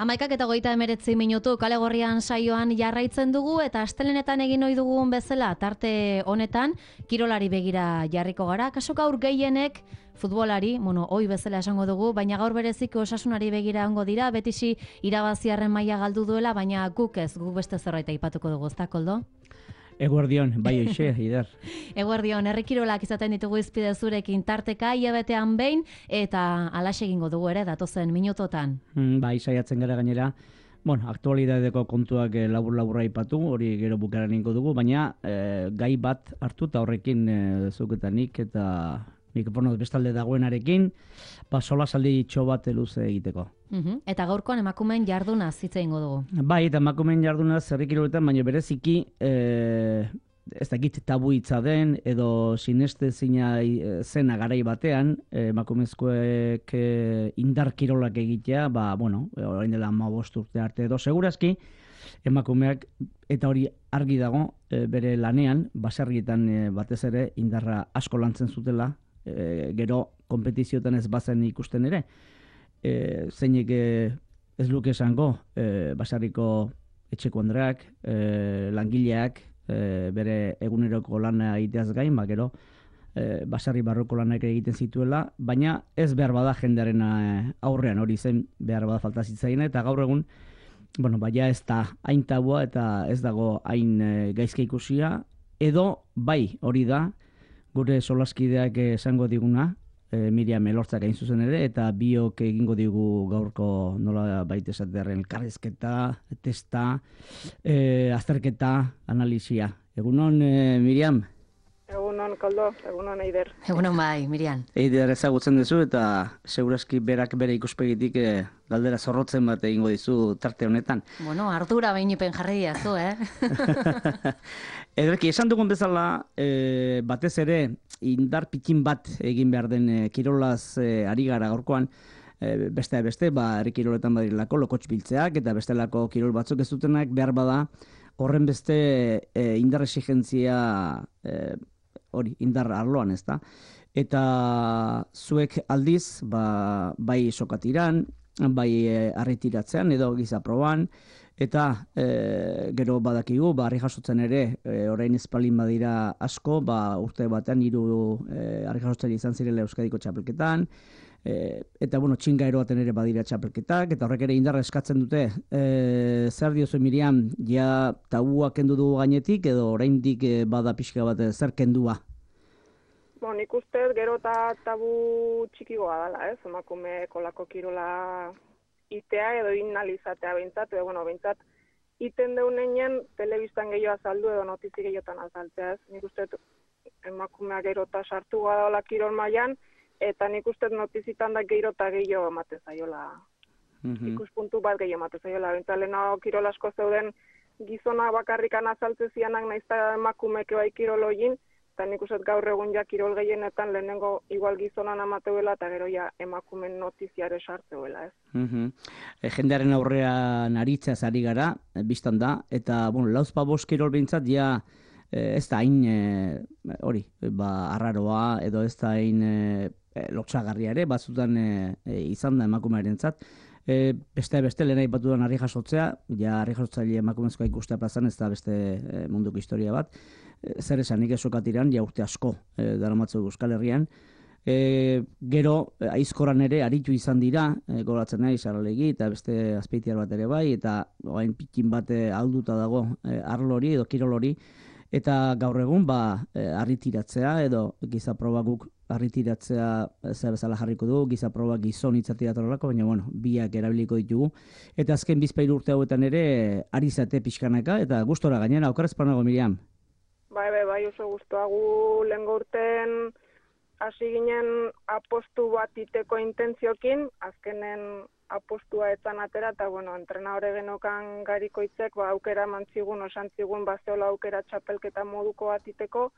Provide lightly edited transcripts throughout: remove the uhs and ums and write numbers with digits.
11:29 Kale Gorrian saioan jarraitzen dugu eta astelenetan egin ohi dugun bezala tarte honetan kirolari begira jarriko gara. Kaso gaur gehienek futbolari, ohi bezala esango dugu, baina gaur bereziko osasunari begira ongo dira, betisi irabaziarren maila galdu duela, baina guk beste zerbait aipatuko dugu, ezta Koldo? Eguerdion, bai hoxe, Ider. Eguerdion, herri kirolak izaten ditugu izpide zurekin tarteka, hilabetean behin, eta alaxe egingo dugu ere, datozen minutotan. Bai, saiatzen gara gainera. Aktualidadeko kontuak labur-laburra aipatu, hori gero bukaran ingo dugu, baina gai bat hartu eta horrekin zuketanik eta mikrofonoz bestalde dagoenarekin, solasaldi itxo bat luze egiteko. Eta gaurkoan emakumeen jardunaz hitz egingo dugu. Bai, eta emakumeen jardunaz herri kiroletan, baina bereziki ez dakit tabu hitza den edo sinestezina zena garai batean emakumezkoek indar kirolak egitea, orain dela 15 urte arte edo segurazki emakumeak, eta hori argi dago bere lanean, baserrietan batez ere indarra asko lantzen zutela, gero konpetizioetan ez bazen ikusten ere. Zeinek ez luke esango baserriko etxeko andreak, langileak, bere eguneroko lana egiteaz gain, gero baserri barroko lanak egiten zituela, baina ez behar bada jendearen aurrean, hori zen behar bada falta zitzaien, eta gaur egun baina ez da hain tabua eta ez dago hain gaizke ikusia, edo bai hori da gure solaskideak esango diguna, Miriam Elortzak hain zuzen ere, eta biok egingo digu gaurko nola baita esaterren elkarrizketa, testa, azterketa, analizia. Egunon, Miriam? Egunon, Koldo, egunon, Eider. Egunon bai, Miriam. Eider ezagutzen duzu eta segurazki berak bere ikuspegitik galdera zorrotzen bat egingo dizu tarte honetan. Ardura behin jarri diazu, Ederki, esan dugun bezala, batez ere, indar pitin bat egin behar den kirolaz ari gara gaurkoan, beste, herri kiroletan badirelako lokotx biltzeak eta bestelako kirol batzuk ez dutenak behar bada horren beste indar exigentzia hori, indar arloan, ez da. Eta zuek aldiz, bai sokatiran, bai arretiratzean edo gizaproban, eta gero badakigu, harri jasotzen ere, orain espalin badira asko, urte batean 3 harri jasotzen izan zirela Euskadiko txapelketan, eta txinga eroaten ere badira txapelketak, eta horrek ere indarra eskatzen dute. Zer diozu, Miriam, ja tabua kendu dugu gainetik, edo oraindik bada pixka bat zer kendua? Nik uste gero eta tabu txikigoa dela, emakume kolako kirola itea edo inalizatea behintzat, behintzat iten deunean telebistan gehiago azaldu edo notizi gehiotan azaltzea, Nik uste emakumea gero eta sartu gara kirol mailan, eta nik uste notizitan da gero eta gehiago emate zaiola. Ikuspuntu bat gehiago emate zaiola. Behintzat lehenago kirol asko zeuden gizona bakarrikan azaltze zianak naizta emakumeke bai kirol hogin, eta nik uste gaur egun ja kirol gehienetan lehenengo igual gizonan amateuela eta gero ja emakumen notiziare sartzeuela, Jendearen aurrean aritzaz ari gara, biztan da, eta lauzpa bost kirol behintzat ja ez da hain arraroa edo ez da hain lotxagarria ere, batzutan izan da emakumearentzat. Beste lehen aipatu den harri jasotzea, ja harri jasotzaile emakumezkoa ikustea plazan, ez da beste munduko historia bat. Zer esanik esokatiran, ja urte asko daramatzuk Euskal Herrian. Gero, aizkoran ere aritu izan dira, goratzen nahi, Saralegi eta beste azpeitiar bat ere bai, eta hain pikin bat alduta dago arlori edo kirolori, eta gaur egun arritiratzea edo gizaproba guk arritiratzea zer bezala jarriko du, gizaproba gizon itzatiratorolako, baina biak erabiliko ditugu. Eta azken 2 urte hauetan ere ari zate pixkanaka, eta gustora gainera, okarrezpanago, Miriam? Bai, oso guztuagu lehengo urten hasi ginen apostu bat iteko intentziokin, azkenen apostua etzan atera, eta entrenadore genokan garikoitzek aukera mantzigun, osantzigun, bazeola aukera txapelketa moduko bat iteko,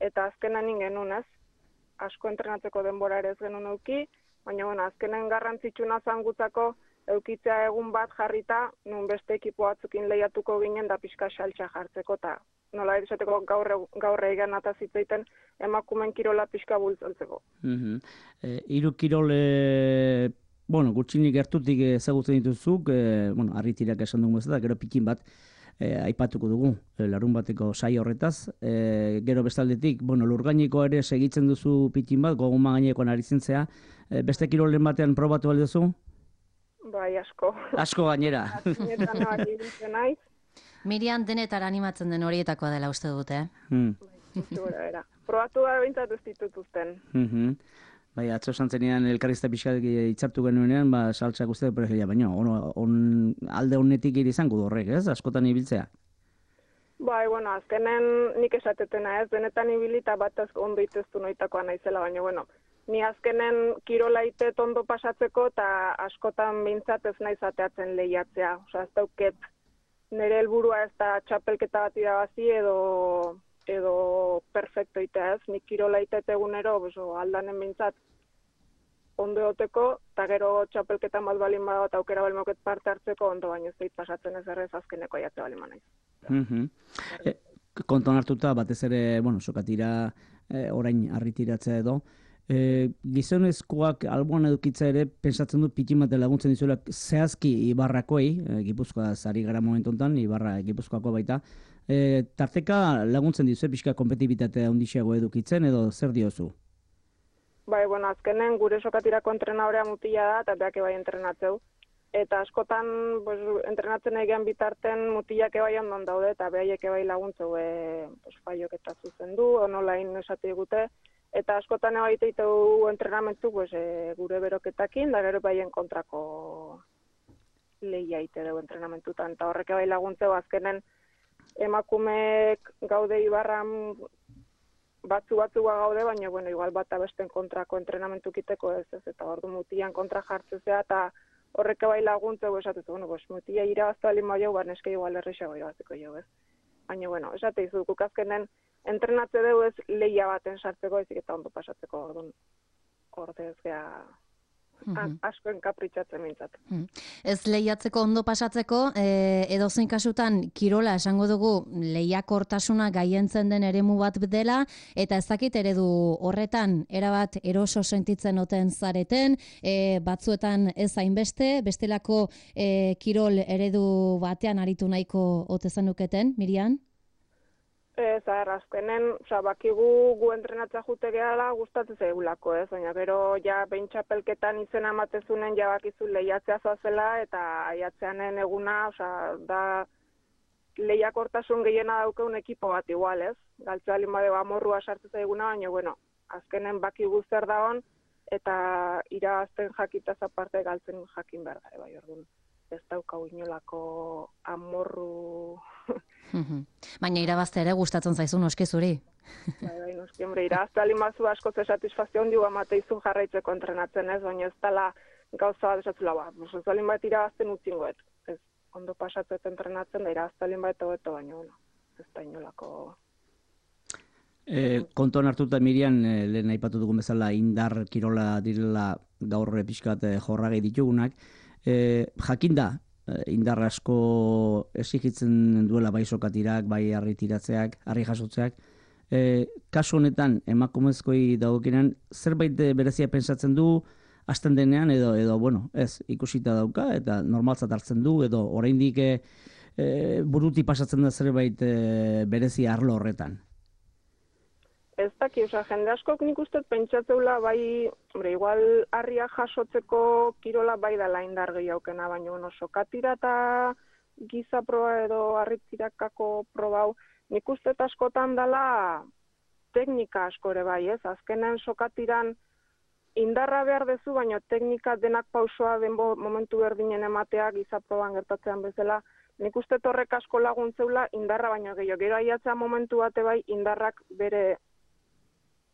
eta azkenen ingenun, asko entrenatzeko denbora ere ez genuen euki, baina azkenen garrantzitsuna zangutzako eukitzea egun bat jarrita, nun beste ekipo batzukin lehiatuko ginen da pixka saltxa jartzeko, eta nola esateko gaur egan atazitzeiten emakumen kirola pixka bultzoltzeko. 3 kirol Bueno, gutxinik gertutik ezagutzen dituzuk, bueno, harritirak esan dugu bezala, gero pikin bat aipatuko dugu, larun bateko saio horretaz. Gero bestaldetik, bueno, lurgainikoa ere segitzen duzu pikin bat, goguma gainekoan ari zintzea. Beste kirolen batean probatu aldezu? Bai, asko. Asko gainera. Atzinetan nabak ibiltzen naiz. Mirian denetara animatzen den horietakoa dela uste dute, Era. Probatu da behintzat ez ditutuzten. Bai, atzo santzenean elkarrizta pixkat hitzartu genuenean, saltsak uste preferia, baina alde honetik iri izango du horrek, ez? Askotan ibiltzea. Bai, bueno, azkenen nik esatetena ez, denetan ibilita bat ondo iteztu noitakoa naizela, baina, bueno, ni azkenen kirola itet ondo pasatzeko eta askotan behintzat ez naiz ateatzen lehiatzea. Osa, ez dauket nire helburua ez da txapelketa bat irabazi edo perfecto itea ez. Nik kirola itet egunero, aldanen behintzat ondo egoteko, eta gero txapelketan bat balin badago eta aukera balin moket parte hartzeko ondo, baina ez dait pasatzen ez errez azkeneko aiatze balin manaiz. Konton hartuta, batez ere, bueno, sokatira orain arritiratzea edo, gizonezkoak alboan edukitza ere, pensatzen du pikin bat laguntzen dizuela zehazki Ibarrakoei, Gipuzkoa zari gara momentu honetan, Ibarra Gipuzkoako baita, tarteka laguntzen dizu, pixka kompetibitatea handiago edukitzen edo zer diozu? Bai, bueno, azkenen gure sokatirako entrenadorea mutila da, eta beak bai entrenatzeu. Eta askotan, entrenatzen egean bitarten mutilak bai ondon daude, eta behaiek bai laguntzeu faiok eta zuzendu, onolain esate digute. Eta askotan bai teiteu entrenamentu gure beroketakin, da gero baien kontrako lehia ite dugu entrenamentutan. Eta horrek bai laguntzeu azkenen emakumeek gaude Ibarran batzu gaude, baina, bueno, igual bat abesten kontrako entrenamentu kiteko ez, eta ordu mutian kontra jartzezea, eta horrek bai laguntzeu esatuz, bueno, mutia irabaztu alin baiau, neske igual errexago irabaziko jau, ez. Baina, bueno, esate izu, kukazkenen entrenatze dugu ez lehia baten sartzeko, ezik eta ondo pasatzeko orduan ordez gea asko enkapritxatzen mintzat. Ez lehiatzeko ondo pasatzeko, edozein kasutan kirola esango dugu lehiakortasuna gaientzen den eremu bat dela, eta ez dakit eredu horretan erabat eroso sentitzen oten zareten, batzuetan ez hainbeste, bestelako kirol eredu batean aritu nahiko ote zenuketen, Mirian? Zahar, azkenen, bakigu gu entrenatza jute gehala gustatzen zaigulako, ez? Baina gero ja behin txapelketan izena ematezunen jabakizu lehiatzea zoazela eta aiatzeanen eguna, da lehiakortasun gehiena daukeun ekipo bat igual, ez? Galtzea limadeo amorrua sartu zaiguna, baina, bueno, azkenen bakigu zer da hon eta irabazten jakitaz aparte galtzen jakin behar da, bai, orduan. Ez daukau inolako amorru... Baina irabazte ere gustatzen zaizu noski zuri. Bai, noski, hombre, irabazte alimazu asko ze satisfazio handi amate izu jarraitzeko entrenatzen ez, baina ez dala gauza bat esatzula, ez alin bat irabazten utzingoet. Ez ondo pasatzet entrenatzen da irabazte alin bat egoeto, baina, bueno, ez da inolako... Kontuan hartuta Mirian, lehen aipatu dugun bezala indar kirola direla gaur pixkat jorragei ditugunak, jakinda, indar asko exigitzen duela bai sokatirak, bai harritiratzeak, harri jasotzeak. Kasu honetan, emakumezkoi dagokinan, zerbait berezia pensatzen du, hasten denean, edo bueno, ez, ikusita dauka, eta normaltzat hartzen du, edo oraindik buruti pasatzen da zerbait berezia arlo horretan. Ez daki, jende askok nik uste pentsatzeula bai, igual harria jasotzeko kirola bai dela indar gehiaukena, baina bueno, sokatira eta giza proba edo harritirakako probau, nik uste askotan dela teknika asko ere bai, ez? Azkenen sokatiran indarra behar dezu, baina teknika denak pausoa den momentu berdinen ematea giza proban gertatzean bezala, nik uste horrek asko laguntzeula indarra baino gehiago. Gero aiatzea momentu bate bai indarrak bere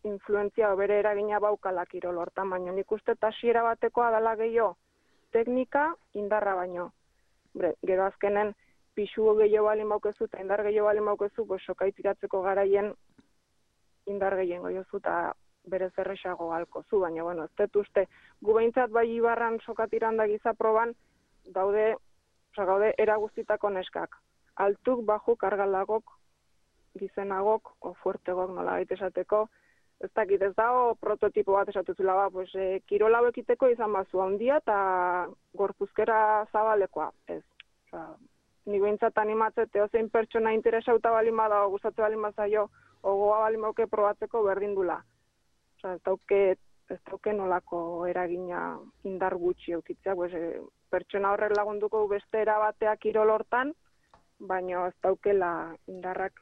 influentzia o bere eragina baukala kirol hortan, baina nik uste hasiera batekoa dela gehiago teknika indarra baino. Gero azkenen pixu gehiago balin baukezu eta indar gehiago balin baukezu, sokaitiratzeko garaien indar gehien goiozu eta berez erresago alkozu, baina bueno, ez dut uste, gu behintzat bai Ibarran sokatiran da giza proban gaude eraguztitako neskak. Altuk, bajuk, argalagok, gizenagok, o fuertegok nola baita esateko, ez dakit, ez dago prototipo bat esatuzula, pues, kirol hau ekiteko izan bazu handia eta gorpuzkera zabalekoa, ez. Ni behintzat animatzet, eozein pertsona interesauta balin bada, gustatze balin bazaio, gogoa balin bauke probatzeko berdin dula. Ez dauke nolako eragina indar gutxi eukitzea, pues, pertsona horrek lagunduko beste erabatea kirol hortan, baina ez daukela indarrak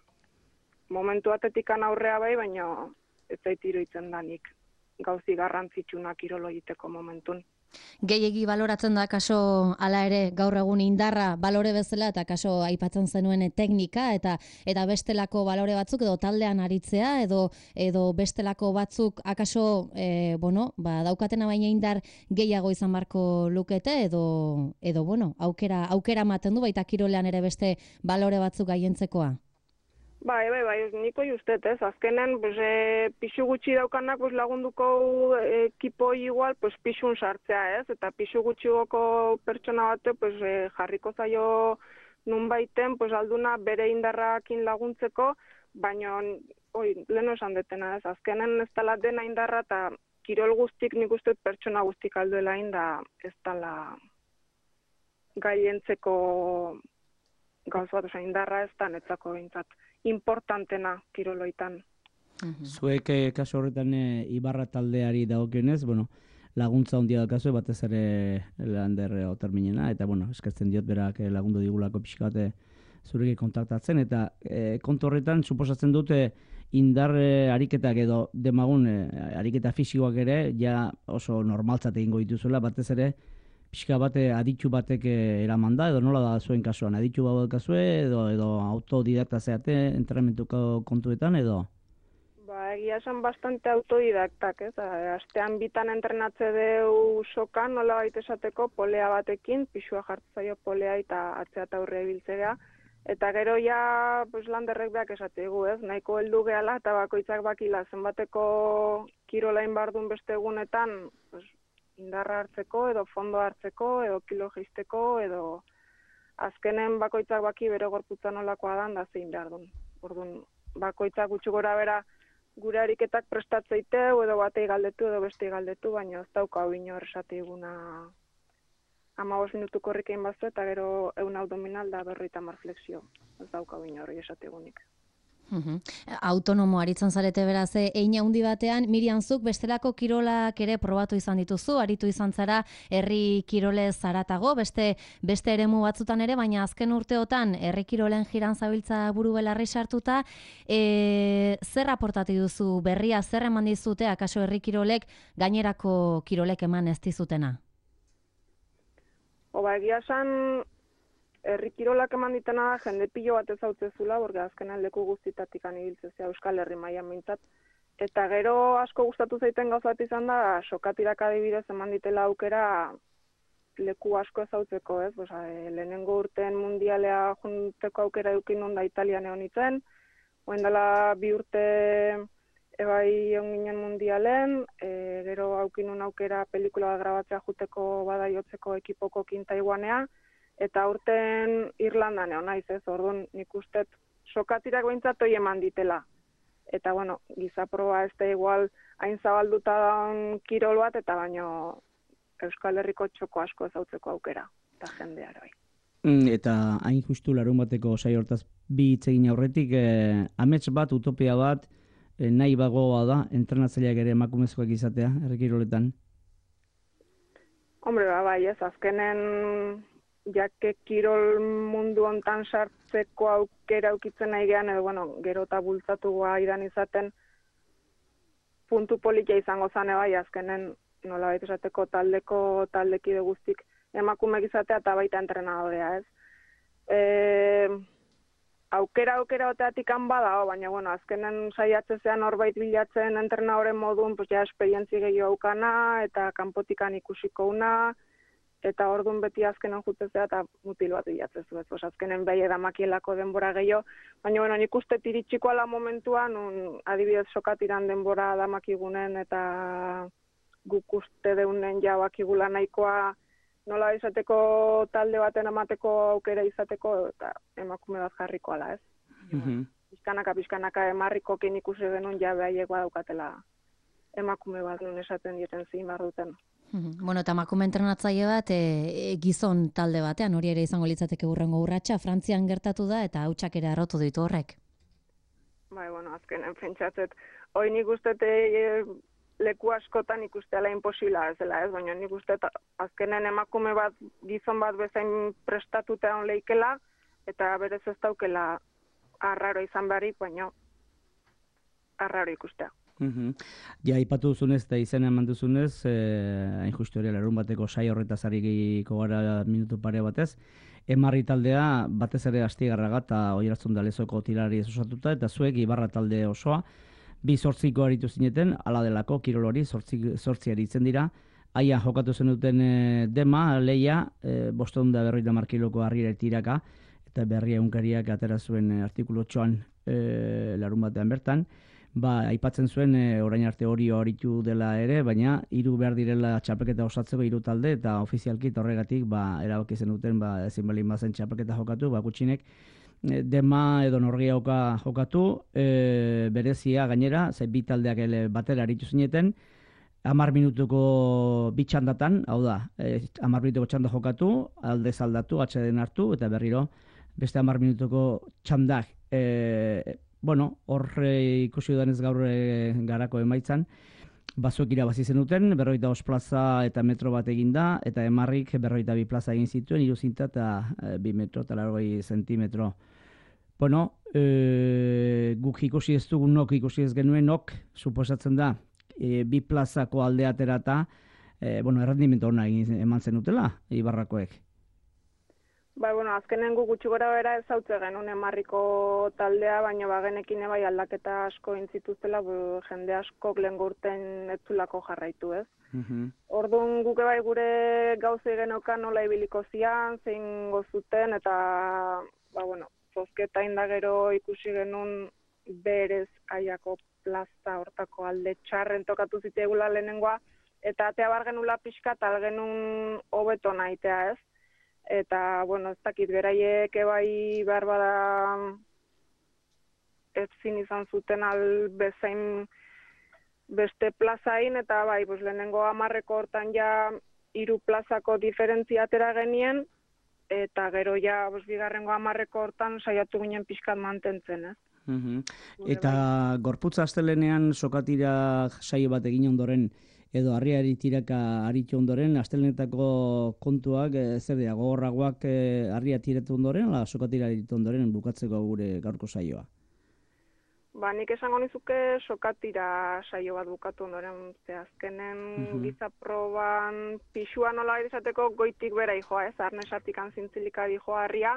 momentu atetikan aurrea bai, baina ez zait iruditzen danik gauzi garrantzitsuna kirolo egiteko momentun. Gehiegi baloratzen da kaso hala ere gaur egun indarra balore bezala eta kaso aipatzen zenuen teknika eta bestelako balore batzuk edo taldean aritzea edo bestelako batzuk akaso daukatena baina indar gehiago izan barko lukete edo aukera ematen du baita kirolean ere beste balore batzuk gaientzekoa. Bai, niko justet, ez. Azkenen, pixu gutxi daukanak lagunduko ekipo igual, pixun sartzea, ez. Eta pixu gutxigoko pertsona bate, jarriko zaio nun baiten, alduna bere indarrakin laguntzeko, baina, leheno esan detena, ez. Azkenen ez tala dena indarra, eta kirol guztik nik uste pertsona guztik alduela inda, ez tala gaientzeko gauz bat, indarra ez da netzako bintzat. Importantena kiroloitan. Zuek kasu horretan Ibarra taldeari dagokionez, laguntza handia daukazu batez ere Lander Oterminena eta eskertzen diot berak lagundu digulako pixka bat zurekin kontaktatzen eta kontu horretan suposatzen dute indar ariketak edo demagun ariketa fisikoak ere ja oso normaltzat egingo dituzuela batez ere pixka bat aditu batek eraman da, edo nola da zuen kasuan, aditu bau daukazue, edo autodidakta zeate entrenamentuko kontuetan, edo? Egia esan bastante autodidaktak, ez? Astean bitan entrenatze deu sokan, nola baita esateko, polea batekin, pixua jartzaio polea eta atzea eta aurre ibiltzea, eta gero ja Landerrek beak esategu, ez? Nahiko heldu gehala eta bakoitzak bakila zenbateko kirolain bardun beste egunetan, indarra hartzeko, edo fondo hartzeko, edo kilo geisteko, edo azkenen bakoitzak baki bere gorputza nolakoa dan, da zein behar duen. Orduan, bakoitzak gutxi gora bera gure ariketak prestatzeiteu, edo batei galdetu, edo bestei galdetu, baina ez dauka hau inor esate iguna 15 minutuko horrikein bazu, eta gero 100 abdominal da 50 flexio. Ez dauka hau inor esate igunik. Autonomo aritzen zarete beraz, hein handi batean, Miriam zuk bestelako kirolak ere probatu izan dituzu, aritu izan zara herri kirolez zaratago, beste eremu batzutan ere, baina azken urteotan herri kirolen jiran zabiltza buru belarri sartuta, zer aportatu duzu berria, zer eman dizute, akaso herri kirolek gainerako kirolek eman ez dizutena? Egia esan, herri kirolak eman ditena da, jende pilo bat ezautzezula, borga azkenan leku guztitatik anibiltzezea Euskal Herri mailan mintzat. Eta gero asko gustatu zaiten gauzat izan da, sokatirak adibidez eman ditela aukera leku asko ezautzeko, ez? Lehenengo urteen mundialea junteko aukera edukin onda Italian egon itzen, oen dela 2 urte ebai egon ginen mundialen, gero aukinun aukera pelikula grabatzea juteko badaiotzeko ekipoko Taiwanea, eta urten Irlandan egon naiz, ez, orduan nik ustet sokatirak behintzat hoi eman ditela. Eta, gizaproba ez da igual hain zabalduta daun kirol bat, eta baino Euskal Herriko txoko asko ezautzeko aukera, eta jendeara bai. Eta hain justu larun bateko saio hortaz bi hitz egin aurretik, amets bat, utopia bat, nahi bagoa da, entrenatzaileak ere emakumezkoak izatea, herri kiroletan? Hombre, bai, ez, azkenen jake kirol mundu hontan sartzeko aukera aukitzen nahi gehan, edo, gero eta bultzatugoa idan izaten puntu politia izango zane bai, azkenen nola baita esateko taldekide guztik emakumek izatea eta baita entrenadorea, ez. Aukera oteatik bada, baina, azkenen saiatzezean horbait bilatzen entrenadoren modun, ja esperientzi gehiago aukana, eta kanpotikan ikusiko una, eta orduan beti azkenen jutzezea eta mutil bat bilatzezu, ez. Azkenen behi edamakielako denbora gehiago, baina, nik uste tiritxiko ala momentuan, adibidez sokatiran denbora damakigunen, eta guk uste deunen jabakigula nahikoa, nola izateko talde baten emateko aukera izateko, eta emakume bat jarriko ala, ez? pizkanaka emarrikokin ikusi genuen ja behaiek badaukatela emakume bat nun esaten dieten zein behar duten. Bueno, eta emakume entrenatzaile bat gizon talde batean, hori ere izango litzateke hurrengo urratsa, Frantzian gertatu da eta hautsak ere arrotu ditu horrek. Bai, bueno, azkenen pentsatzet, hoi nik uste leku askotan ikustela imposibla ez dela, ez? Baina nik uste azkenen emakume bat, gizon bat bezain prestatuta on leikela, eta berez ez daukela arraro izan beharrik, baina arraro ikustea. Ja, ipatu duzunez eta izena eman duzunez, hain justu hori larun bateko sai horretaz ariko gara minutu pare batez, Emarri taldea batez ere Astigarraga eta Oiartzun da Lezoko tirari osatuta, eta zuek Ibarra talde osoa, 2-8 aritu zineten, ala delako, kirol hori, 8 aritzen dira, haia jokatu zenuten dema, leia, 550 kiloko harriera tiraka, eta berria egunkariak atera zuen artikulu 8an larun batean bertan, aipatzen zuen orain arte hori horitu dela ere, baina 3 behar direla txapelketa osatzeko 3 talde, eta ofizialki horregatik erabaki zenuten ezin balin bazen txapelketa jokatu, gutxinek dema edo norgiauka jokatu, berezia gainera, 2 taldeak batera aritu zineten, 10 minutuko 2 txandatan, hau da, 10 minutuko txanda jokatu, aldez aldatu, atxeden hartu, eta berriro beste 10 minutuko txandak, horre ikusi dudanez gaur garako emaitzan, bazuek irabazi zenuten, 45 plaza eta metro bat eginda, eta Emarrik 42 plaza egin zituen, 3 zinta eta 2 metro eta 40 zentimetro. Guk ikusi ez dugun, nok ikusi ez genuen, suposatzen da, 2 plazako alde aterata, errendimentu hona eman zenutela, Ibarrakoek. Azkenen gu gutxi gora bera ez hautze genuen Emarriko taldea, baina genekin bai aldaketa asko intzituztela, jende askok lehen urten ez zulako jarraitu, ez? Orduan guke bai gure gauzei genokan nola ibiliko zian, zein gozuten, eta, zozketa indagero ikusi genuen berez aiako plaza hortako alde txarren tokatu ziteegula lehenengoa, eta atea bar genula pixka tal genuen hobeto nahitea, ez? Eta, ez dakit, beraiek bai behar bada ezin izan zuten albezain beste plazain, eta lehenengo 10 hortan ja 3 plazako diferentzia atera genien, eta gero ja bigarrengo 10 hortan saiatu ginen pixkat mantentzen, ez? Eta gorputza astelenean sokatira saio bat egin ondoren, edo harriari tiraka aritu ondoren, astelenetako kontuak zer dira, gogorragoak harria tiratu ondoren, ala sokatira aritu ondoren bukatzeko gure gaurko saioa? Nik esango nizuke sokatira saio bat bukatu ondoren, azkenen gizaproban pixua nola izateko goitik bera joa, ez, arnesatik antzintzilik joa harria,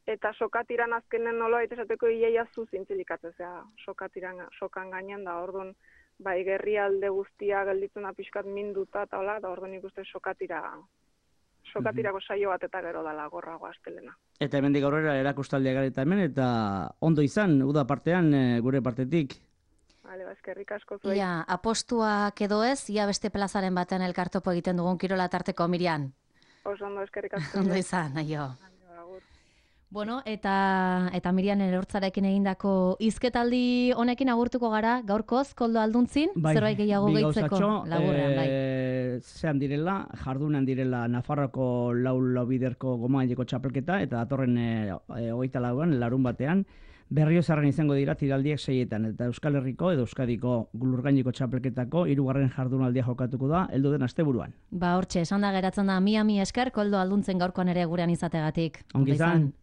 eta sokatiran azkenen nola izateko iaia zu zintzilikatzea, sokan gainen da, orduan, gerri alde guztia gelditzen da pixkat minduta eta hola, da orduan ikuste sokatirako saio bat eta gero dala gorrago astelena. Eta hemendik aurrera erakustaldia gareta hemen, eta ondo izan, uda partean, gure partetik. Eskerrik asko zuei. Ia, apostuak edo ez, ia beste plazaren batean elkartopo egiten dugun kirola tarteko, Mirian. Ondo, eskerrik asko. Ondo izan, aio. Eta Mirian Elortzarekin egindako hizketaldi honekin agurtuko gara, gaurkoz, Koldo Alduntzin, zerbait gehiago gehitzeko laburrean, bai. Zean direla, jardunan direla Nafarroko laubiderko gomaileko txapelketa, eta datorren 24an, larun batean, Berriozarren izango dira tiraldiek 6etan, eta Euskal Herriko edo Euskadiko lurgaineko txapelketako 3. jardunaldia jokatuko da, heldu den asteburuan. Hortxe, esan da geratzen da, mi esker, Koldo Alduntzen gaurkoan ere gurean izategatik. Ongi izan.